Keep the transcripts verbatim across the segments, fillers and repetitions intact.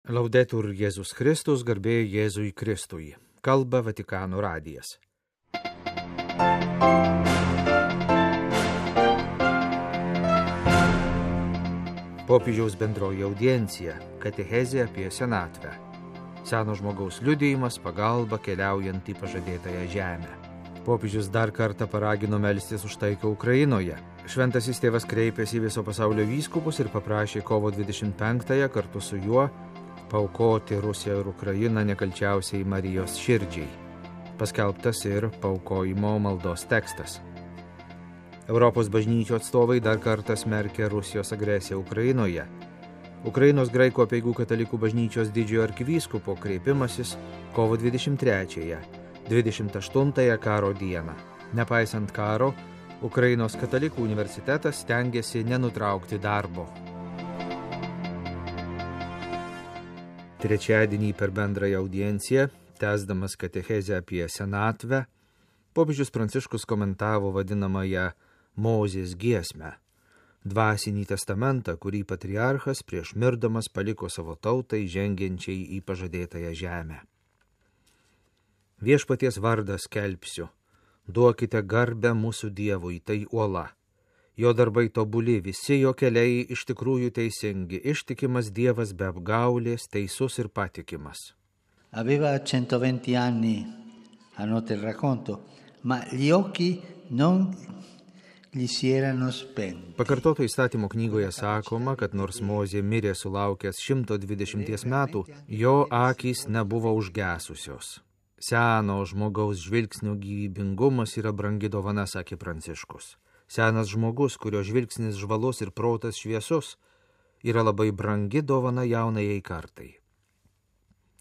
Laudetur Jėzus Kristus, garbė Jėzui Kristui. Kalba Vatikano radijas. Popiežiaus bendroji audiencija, katechezė apie senatvę. Seno žmogaus liudijimas, pagalba keliaujant į pažadėtąją žemę. Popiežius dar kartą paragino melstis už taiką Ukrainoje. Šventasis tėvas kreipėsi į viso pasaulio vyskupus ir paprašė kovo dvidešimt penktąją kartu su juo paaukoti Rusiją ir Ukrainą nekalčiausiai Marijos širdžiai. Paskelbtas ir paaukojimo maldos tekstas. Europos bažnyčių atstovai dar kartą smerkė Rusijos agresiją Ukrainoje. Ukrainos graikų apeigų katalikų bažnyčios didžiojo arkivyskupo kreipimasis kovo dvidešimt trečiąją, dvidešimt aštuntąją karo dieną. Nepaisant karo, Ukrainos katalikų universitetas stengiasi nenutraukti darbo. Trečiadienį per bendrąją audienciją, tęsdamas katechezę apie senatvę, popiežius Pranciškus komentavo vadinamąją Mozės giesmę, dvasinį testamentą, kurį patriarchas prieš mirdamas paliko savo tautai žengiančiai į pažadėtąją žemę. Viešpaties vardą skelbsiu, duokite garbę mūsų Dievui, tai uola. Jo darbai tobuli, visi jo keliai iš tikrųjų teisingi, ištikimas Dievas be apgaulės, teisus ir patikimas. Aveva centoventi anni, annota il racconto, ma gli occhi non gli si erano spenti. Pakartoto įstatymo knygoje sakoma, kad nors Mozė mirė sulaukęs šimto dvidešimties metų, jo akys nebuvo užgesusios. Seno žmogaus žvilgsnio gyvybingumas yra brangi dovana, sakė Pranciškus. Senas žmogus, kurio žvilgsnis žvalus ir protas šviesus, yra labai brangi dovana jaunajai kartai.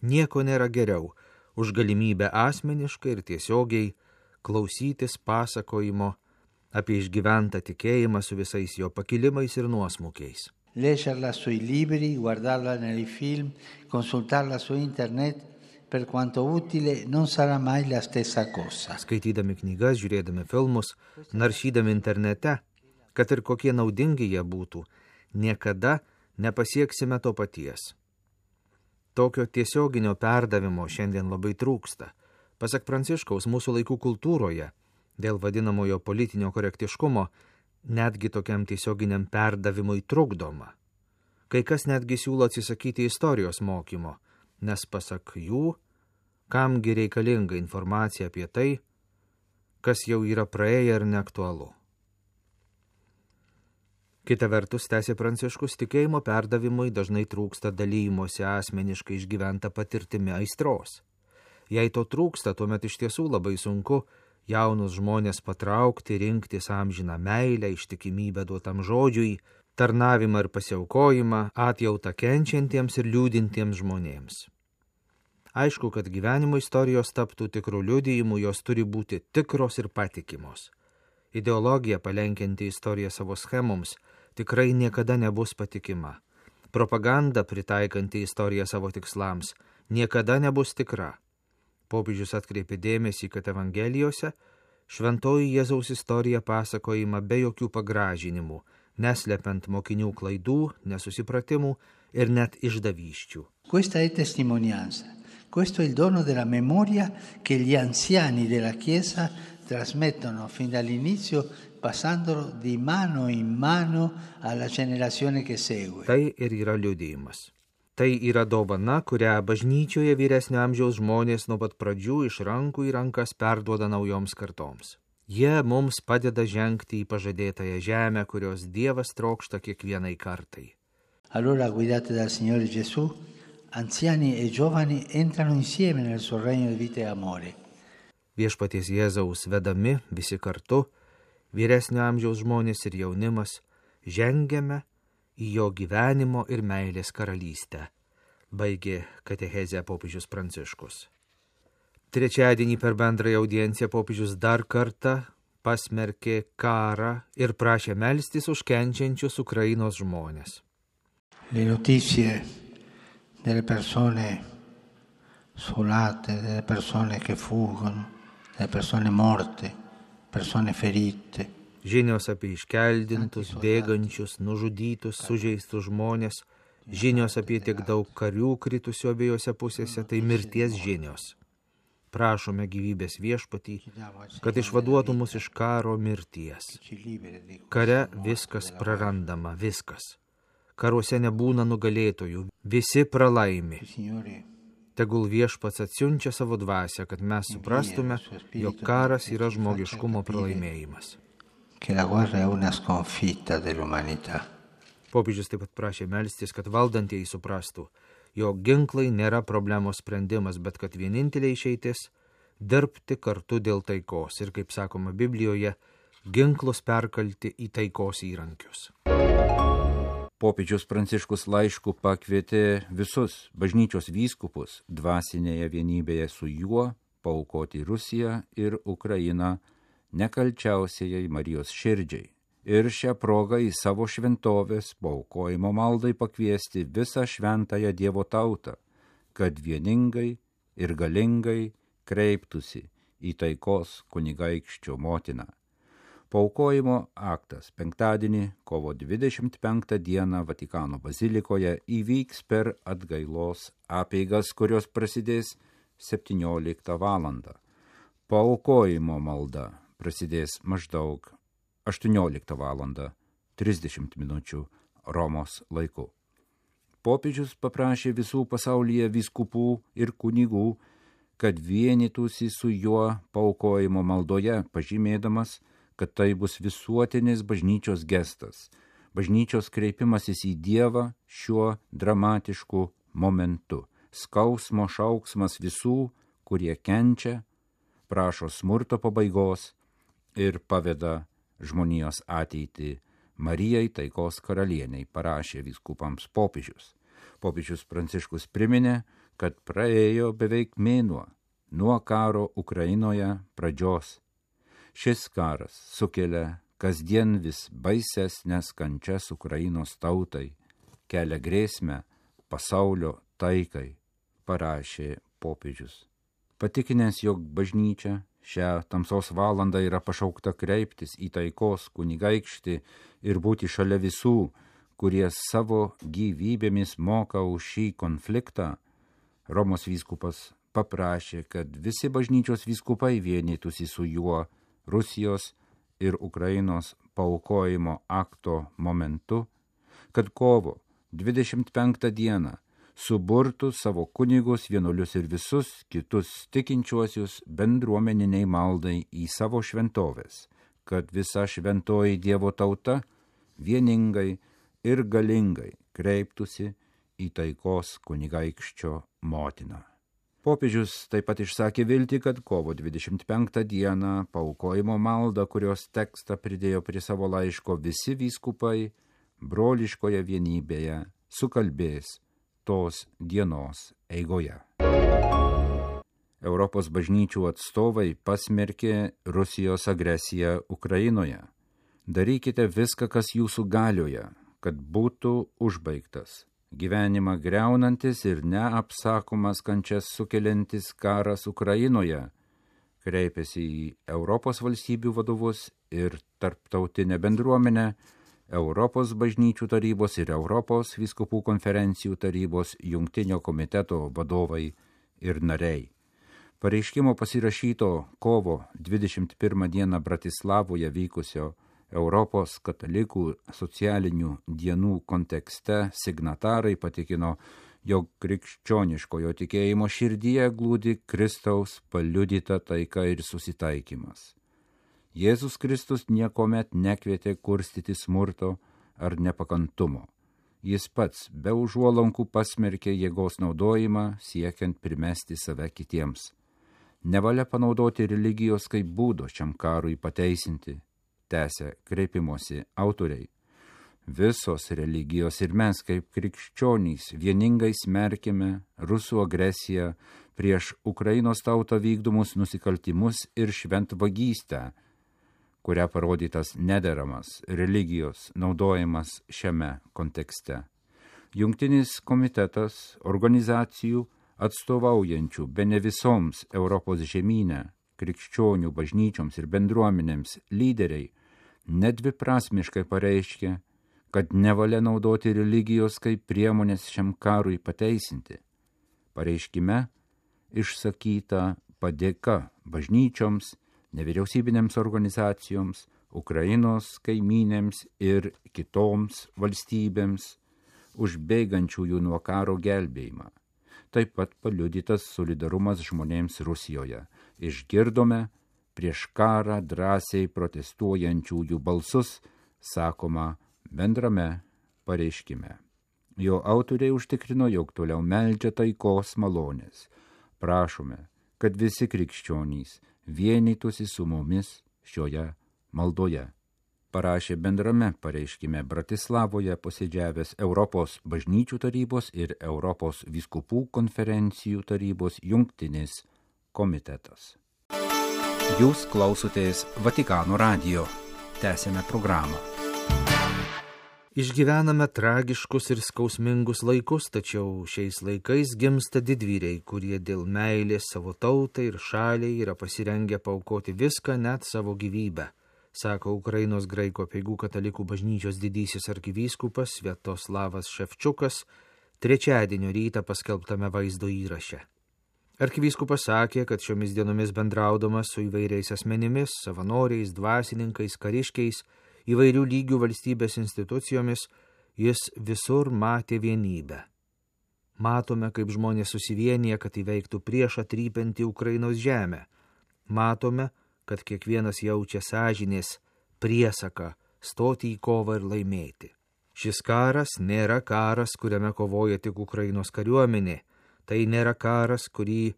Nieko nėra geriau už galimybę asmeniškai ir tiesiogiai klausytis pasakojimo apie išgyventą tikėjimą su visais jo pakilimais ir nuosmukiais. Leggerla sui libri, guardarla nei film, consultarla su internet, per quanto utile, non sarà mai la stessa cosa. Skaitydami knygas, žiūrėdami filmus, naršydami internete, kad ir kokie naudingi jie būtų, niekada nepasieksime to paties. Tokio tiesioginio perdavimo šiandien labai trūksta. Pasak Pranciškaus, mūsų laikų kultūroje, dėl vadinamojo politinio korektiškumo, netgi tokiam tiesioginiam perdavimui trukdoma. Kai kas netgi siūlo atsisakyti istorijos mokymo, nes pasak jų, kamgi reikalinga informacija apie tai, kas jau yra praėję ir neaktualu. Kita vertus, tęsė Pranciškus, tikėjimo perdavimui dažnai trūksta dalymosi asmeniškai išgyventa patirtimi aistros. Jei to trūksta, tuomet iš tiesų labai sunku jaunus žmonės patraukti, rinktis amžiną meilę, ištikimybę duotam žodžiui, tarnavimą ir pasiaukojimą, atjautą kenčiantiems ir liūdintiems žmonėms. Aišku, kad gyvenimo istorijos taptų tikrų liudijimų, jos turi būti tikros ir patikimos. Ideologija palenkianti istoriją savo schemoms tikrai niekada nebus patikima. Propaganda pritaikanti istoriją savo tikslams niekada nebus tikra. Popiežius atkreipė dėmesį, kad Evangelijose šventoji Jėzaus istorija pasakojama be jokių pagražinimų, neslepiant mokinių klaidų, nesusipratimų ir net išdavysčių. Questa è testimonianza. Questo è il dono della memoria che gli anziani della Chiesa trasmettono fin dall'inizio, passandolo di mano in mano alla generazione che segue. Tai ir yra liudijimas. Tai yra dovana, kurią bažnyčioje vyresnio amžiaus žmonės nuo pat pradžių iš rankų į rankas perduoda naujoms kartoms. Jie mums padeda žengti į pažadėtąją žemę, kurios Dievas trokšta kiekvienai kartai. Allora, guidati dal Signore Gesù, anziani e giovani entrano insieme nel suo regno di vita e amore. Viešpaties Jėzaus vedami visi kartu, vyresnio amžiaus žmonės ir jaunimas, žengiame į jo gyvenimo ir meilės karalystę, baigė katechezę popiežius Pranciškus. Trečiadienį per bendrąją audienciją popiežius dar kartą pasmerkė karą ir prašė melstis už kenčiančius Ukrainos žmonės. Le notizie delle persone sfolate, delle persone che fuggono, delle persone morte, persone ferite. Žinios apie iškeldintus, bėgančius, nužudytus, sužeistus žmonės Žinios apie tiek daug karių kritusių abiejose pusėse, tai mirties žinios. Prašome gyvybės Viešpatį, kad išvaduotų mus iš karo mirties. Kare viskas prarandama, viskas. Karuose nebūna nugalėtojų, visi pralaimi. Tegul Viešpats atsiunčia savo dvasią, kad mes suprastume, jog karas yra žmogiškumo pralaimėjimas. Popiežius taip pat prašė melstis, kad valdantieji suprastų, jog ginklai nėra problemos sprendimas, bet kad vienintelė išeitis – dirbti kartu dėl taikos ir, kaip sakoma Biblijoje, ginklus perkalti į taikos įrankius. Popiežius Pranciškus laišku pakvietė visus bažnyčios vyskupus dvasinėje vienybėje su juo paaukoti Rusiją ir Ukrainą nekalčiausiai Marijos širdžiai. Ir šią progą į savo šventovės paaukojimo maldai pakviesti visą šventąją Dievo tautą, kad vieningai ir galingai kreiptųsi į taikos kunigaikščio motiną. Paaukojimo aktas penktadienį, kovo dvidešimt penktą dieną Vatikano bazilikoje įvyks per atgailos apeigas, kurios prasidės septynioliktą valandą. Paaukojimo malda prasidės maždaug aštuonioliktą valandą trisdešimt minučių Romos laiku. Popiežius paprašė visų pasaulyje vyskupų ir kunigų, kad vienytųsi su juo paaukojimo maldoje, pažymėdamas, kad tai bus visuotinis bažnyčios gestas, bažnyčios kreipimasis į Dievą šiuo dramatišku momentu, skausmo šauksmas visų, kurie kenčia, prašo smurto pabaigos ir paveda žmonijos ateitį Marijai taikos karalieniai, parašė vyskupams popiežius. Popiežius Pranciškus priminė, kad praėjo beveik mėnuo nuo karo Ukrainoje pradžios. Šis karas sukelia kasdien vis baisesnes kančias Ukrainos tautai, kelia grėsmę pasaulio taikai, parašė popiežius. Patikinęs, jog bažnyčia šią tamsos valandą yra pašaukta kreiptis į taikos kunigaikštį ir būti šalia visų, kurie savo gyvybėmis moka už šį konfliktą, Romos vyskupas paprašė, kad visi bažnyčios vyskupai vienytųsi su juo Rusijos ir Ukrainos paaukojimo akto momentu, kad kovo dvidešimt penktą dieną suburtų savo kunigus, vienuolius ir visus kitus tikinčiuosius bendruomeniniai maldai į savo šventovės, kad visa šventoji Dievo tauta vieningai ir galingai kreiptųsi į taikos kunigaikščio motiną. Popiežius taip pat išsakė viltį, kad kovo dvidešimt penktą dieną paaukojimo maldą, kurios tekstą pridėjo prie savo laiško visi vyskupai, broliškoje vienybėje sukalbės tos dienos eigoje. Europos bažnyčių atstovai pasmerkė Rusijos agresiją Ukrainoje. Darykite viską, kas jūsų galioje, kad būtų užbaigtas gyvenimą greunantis ir neapsakomas kančias sukeliantis karas Ukrainoje, kreipėsi į Europos valstybių vadovus ir tarptautinę bendruomenę, Europos bažnyčių tarybos ir Europos vyskupų konferencijų tarybos jungtinio komiteto vadovai ir nariai. Pareiškimo pasirašyto kovo dvidešimt pirmą dieną Bratislavoje vykusio Europos katalikų socialinių dienų kontekste signatarai patikino, jog krikščioniškojo tikėjimo širdyje glūdi Kristaus paliudyta taika ir susitaikymas. Jėzus Kristus niekomet nekvietė kurstyti smurto ar nepakantumo. Jis pats be užuolankų pasmerkė jėgos naudojimą siekiant primesti save kitiems. Nevalia panaudoti religijos kaip būdo šiam karui pateisinti, tęsia kreipimosi autoriai. Visos religijos ir mes kaip krikščionys vieningai smerkėme rusų agresiją prieš Ukrainos tautą vykdomus nusikaltimus ir šventvagystę, kuria parodytas nederamas religijos naudojimas šiame kontekste. Jungtinis komitetas organizacijų atstovaujančių bene visoms Europos žemyne, krikščionių bažnyčioms ir bendruomenėms lyderiai nedviprasmiškai pareiškė, kad nevalia naudoti religijos kaip priemonės šiam karui pateisinti. Pareiškime išsakyta padėka bažnyčioms, nevyriausybinėms organizacijoms, Ukrainos kaimynėms ir kitoms valstybėms už bėgančiųjų nuo karo gelbėjimą. Taip pat paliudytas solidarumas žmonėms Rusijoje. Išgirdome prieš karą drąsiai protestuojančiųjų balsus, sakoma bendrame pareiškime. Jo autoriai užtikrino, jog toliau meldžia taikos malonės. Prašome, kad visi krikščionys vienytųsi su mumis šioje maldoje. Parašė bendrame pareiškime Bratislavoje posėdžiavęs Europos bažnyčių tarybos ir Europos vyskupų konferencijų tarybos jungtinis komitetas. Jūs klausotės Vatikano radijo. Tęsiame programą. Išgyvename tragiškus ir skausmingus laikus, tačiau šiais laikais gimsta didvyriai, kurie dėl meilės savo tautai ir šaliai yra pasirengę paaukoti viską, net savo gyvybę, sako Ukrainos graikų apeigų katalikų bažnyčios didysis arkivyskupas Sviatoslavas Ševčiukas trečiadienio rytą paskelbtame vaizdo įraše. Arkivyskupas sakė, kad šiomis dienomis bendraudamas su įvairiais asmenimis, savanoriais, dvasininkais, kariškiais, įvairių lygių valstybės institucijomis, jis visur matė vienybę. Matome, kaip žmonės susivienyje, kad įveiktų priešą trypiantį Ukrainos žemę. Matome, kad kiekvienas jaučia sąžinės priesaką stoti į kovą ir laimėti. Šis karas nėra karas, kuriame kovoja tik Ukrainos kariuomenė. Tai nėra karas, kurį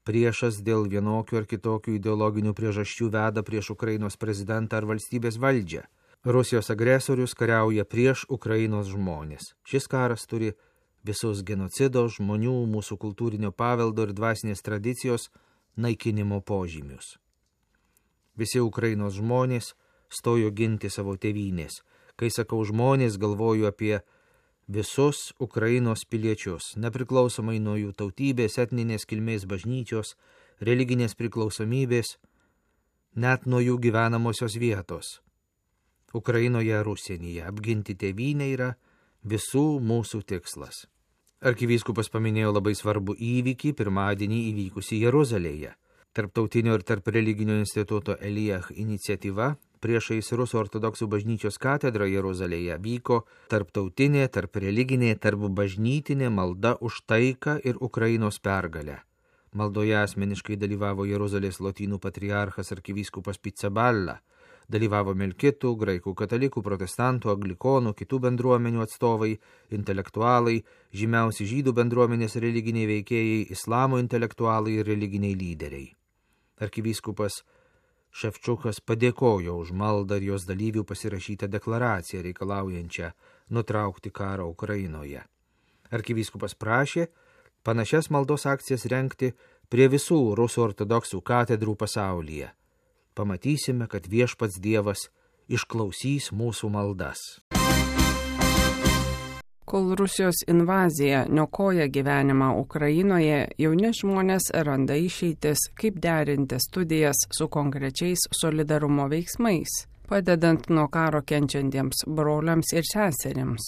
priešas dėl vienokių ar kitokių ideologinių priežasčių veda prieš Ukrainos prezidentą ar valstybės valdžią. Rusijos agresorius kariauja prieš Ukrainos žmonės. Šis karas turi visus genocido, žmonių, mūsų kultūrinio paveldo ir dvasinės tradicijos naikinimo požymius. Visi Ukrainos žmonės stojo ginti savo tėvynės. Kai sakau žmonės, galvoju apie visus Ukrainos piliečius, nepriklausomai nuo jų tautybės, etninės kilmės, bažnyčios, religinės priklausomybės, net nuo jų gyvenamosios vietos. Ukrainoje ar užsienyje apginti tėvynę yra visų mūsų tikslas. Arkivyskupas paminėjo labai svarbų įvykį pirmadienį įvykusį Jeruzalėje. Tarptautinio ir tarp religinio instituto Elijah iniciatyva priešais Rusų ortodoksų bažnyčios katedrą Jeruzalėje vyko tarptautinė, tarp religinė, tarp bažnytinė malda už taiką ir Ukrainos pergalę. Maldoje asmeniškai dalyvavo Jeruzalės lotynų patriarchas arkivyskupas Pizzaballa, dalyvavo melkitų, graikų katalikų, protestantų, anglikonų, kitų bendruomenių atstovai, intelektualai, žymiausi žydų bendruomenės religiniai veikėjai, islamo intelektualai ir religiniai lyderiai. Arkivyskupas Ševčiukas padėkojo už maldą ir jos dalyvių pasirašytą deklaraciją reikalaujančią nutraukti karą Ukrainoje. Arkivyskupas prašė panašias maldos akcijas rengti prie visų Rusų ortodoksų katedrų pasaulyje. Pamatysime, kad viešpats Dievas išklausys mūsų maldas. Kol Rusijos invazija niokoja gyvenimą Ukrainoje, jauni žmonės randa išeitis, kaip derinti studijas su konkrečiais solidarumo veiksmais, padedant nuo karo kenčiantiems broliams ir seserims.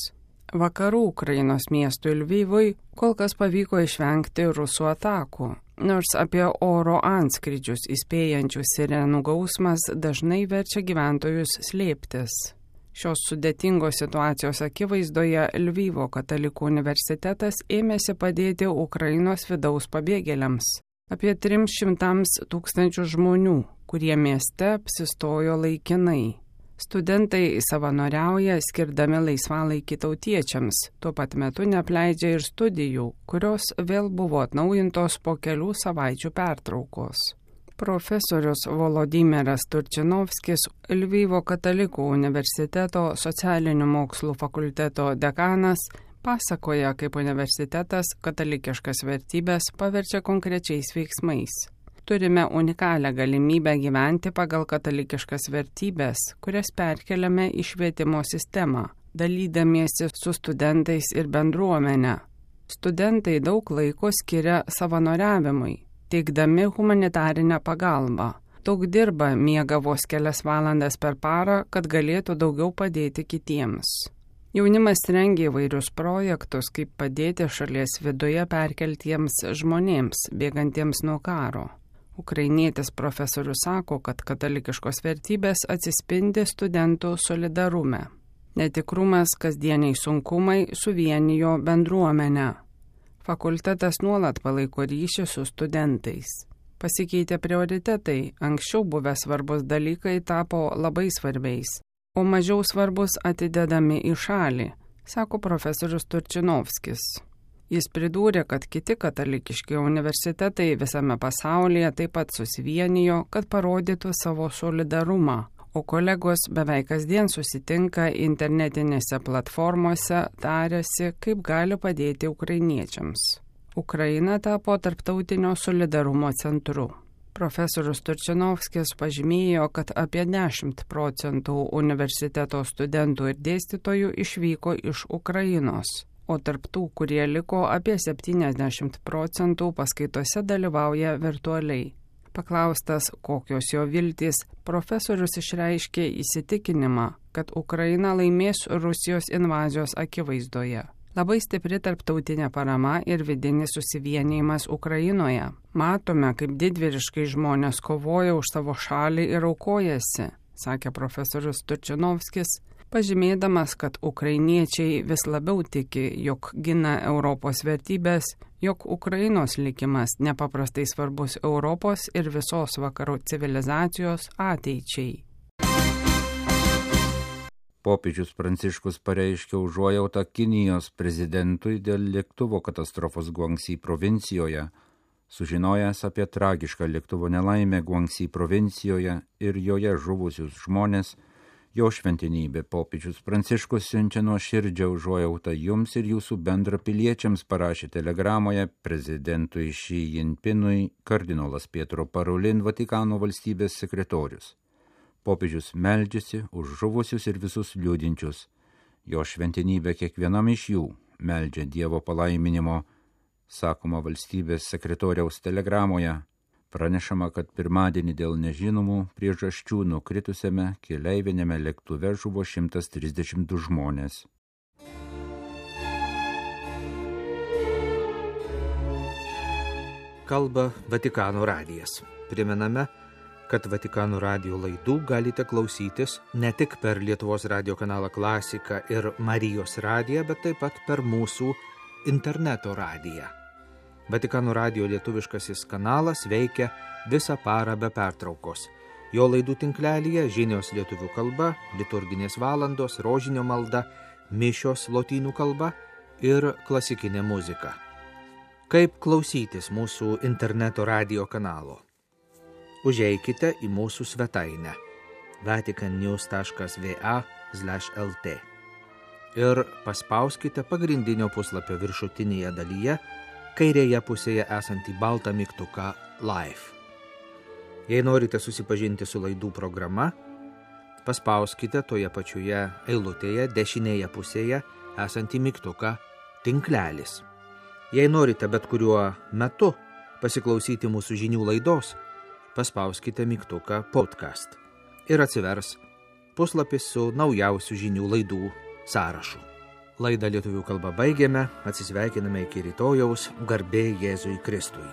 Vakarų Ukrainos miestui Lvivui kol kas pavyko išvengti rusų atakų, nors apie oro antskrydžius įspėjančių sirenų gausmas dažnai verčia gyventojus slėptis. Šios sudėtingos situacijos akivaizdoje Lvivo katalikų universitetas ėmėsi padėti Ukrainos vidaus pabėgėliams. Apie trims šimtams tūkstančių žmonių, kurie mieste apsistojo laikinai. Studentai savanoriauja, skirdami laisvalaikį tautiečiams, tuo pat metu neapleidžia ir studijų, kurios vėl buvo atnaujintos po kelių savaičių pertraukos. Profesorius Volodymyras Turčinovskis, Lvivo katalikų universiteto socialinių mokslų fakulteto dekanas, pasakoja, kaip universitetas katalikiškas vertybės paverčia konkrečiais veiksmais. Turime unikalią galimybę gyventi pagal katalikiškas vertybės, kurias perkeliame į švietimo sistemą, dalydamiesi su studentais ir bendruomenė. Studentai daug laiko skiria savanoriavimui, teikdami humanitarinę pagalbą. Daug dirba, miega vos kelias valandas per parą, kad galėtų daugiau padėti kitiems. Jaunimas rengia įvairius projektus, kaip padėti šalies viduje perkeltiems žmonėms, bėgantiems nuo karo. Ukrainietis profesorius sako, kad katalikiškos vertybės atsispindi studentų solidarume. Netikrumas, kasdieniai sunkumai suvienijo bendruomenę. Fakultetas nuolat palaiko ryšį su studentais. Pasikeitė prioritetai, anksčiau buvę svarbus dalykai tapo labai svarbiais, o mažiau svarbus atidedami į šalį, sako profesorius Turčinovskis. Jis pridūrė, kad kiti katalikiški universitetai visame pasaulyje taip pat susivienijo, kad parodytų savo solidarumą, o kolegos beveik kasdien susitinka internetinėse platformose, tarėsi, kaip gali padėti ukrainiečiams. Ukraina tapo tarptautinio solidarumo centru. Profesorius Turčinovskis pažymėjo, kad apie dešimt procentų universiteto studentų ir dėstytojų išvyko iš Ukrainos, o tarp tų, kurie liko, apie septyniasdešimt procentų paskaitose dalyvauja virtualiai. Paklaustas, kokios jo viltys, profesorius išreiškė įsitikinimą, kad Ukraina laimės Rusijos invazijos akivaizdoje. Labai stipri tarptautinė parama ir vidinis susivienijimas Ukrainoje. Matome, kaip didvyriškai žmonės kovoja už savo šalį ir aukojasi, sakė profesorius Turčinovskis, pažymėdamas, kad ukrainiečiai vis labiau tiki, jog gina Europos vertybės, jog Ukrainos likimas nepaprastai svarbus Europos ir visos vakarų civilizacijos ateičiai. Popiežius Pranciškus pareiškė užuojautą Kinijos prezidentui dėl lėktuvo katastrofos Guangsi provincijoje, sužinojęs apie tragišką lėktuvo nelaimę Guangsi provincijoje ir joje žuvusius žmonės. Jo šventenybė popiežius Pranciškus siunčia nuoširdžią užuojautą jums ir jūsų bendrapiliečiams, parašė telegramoje prezidentui Xi Jinpingui kardinolas Pietro Parolin, Vatikano valstybės sekretorius. Popiežius meldžiasi už žuvusius ir visus liūdinčius. Jo šventenybė kiekvienam iš jų meldžia Dievo palaiminimo, sakoma valstybės sekretoriaus telegramoje. Pranešama, kad pirmadienį dėl nežinomų priežasčių nukritusiame keleivinėme lėktuve žuvo šimtas trisdešimt du žmonės. Kalba Vatikano radijas. Primename, kad Vatikano radijo laidų galite klausytis ne tik per Lietuvos radijo kanalą Klasika ir Marijos radiją, bet taip pat per mūsų interneto radiją. Vatikano radijo lietuviškasis kanalas veikia visą parą be pertraukos. Jo laidų tinklelyje žinios lietuvių kalba, liturginės valandos, rožinio malda, mišios lotynų kalba ir klasikinė muzika. Kaip klausytis mūsų interneto radijo kanalo? Užeikite į mūsų svetainę vaticannews taškas va slash lt ir paspauskite pagrindinio puslapio viršutinėje dalyje kairėje pusėje esantį baltą mygtuką Live. Jei norite susipažinti su laidų programa, paspauskite toje pačioje eilutėje dešinėje pusėje esantį mygtuką Tinklelis. Jei norite bet kuriuo metu pasiklausyti mūsų žinių laidos, paspauskite mygtuką Podcast ir atsivers puslapis su naujausių žinių laidų sąrašu. Laidą lietuvių kalba baigėme, atsisveikiname iki rytojaus, garbė Jėzui Kristui.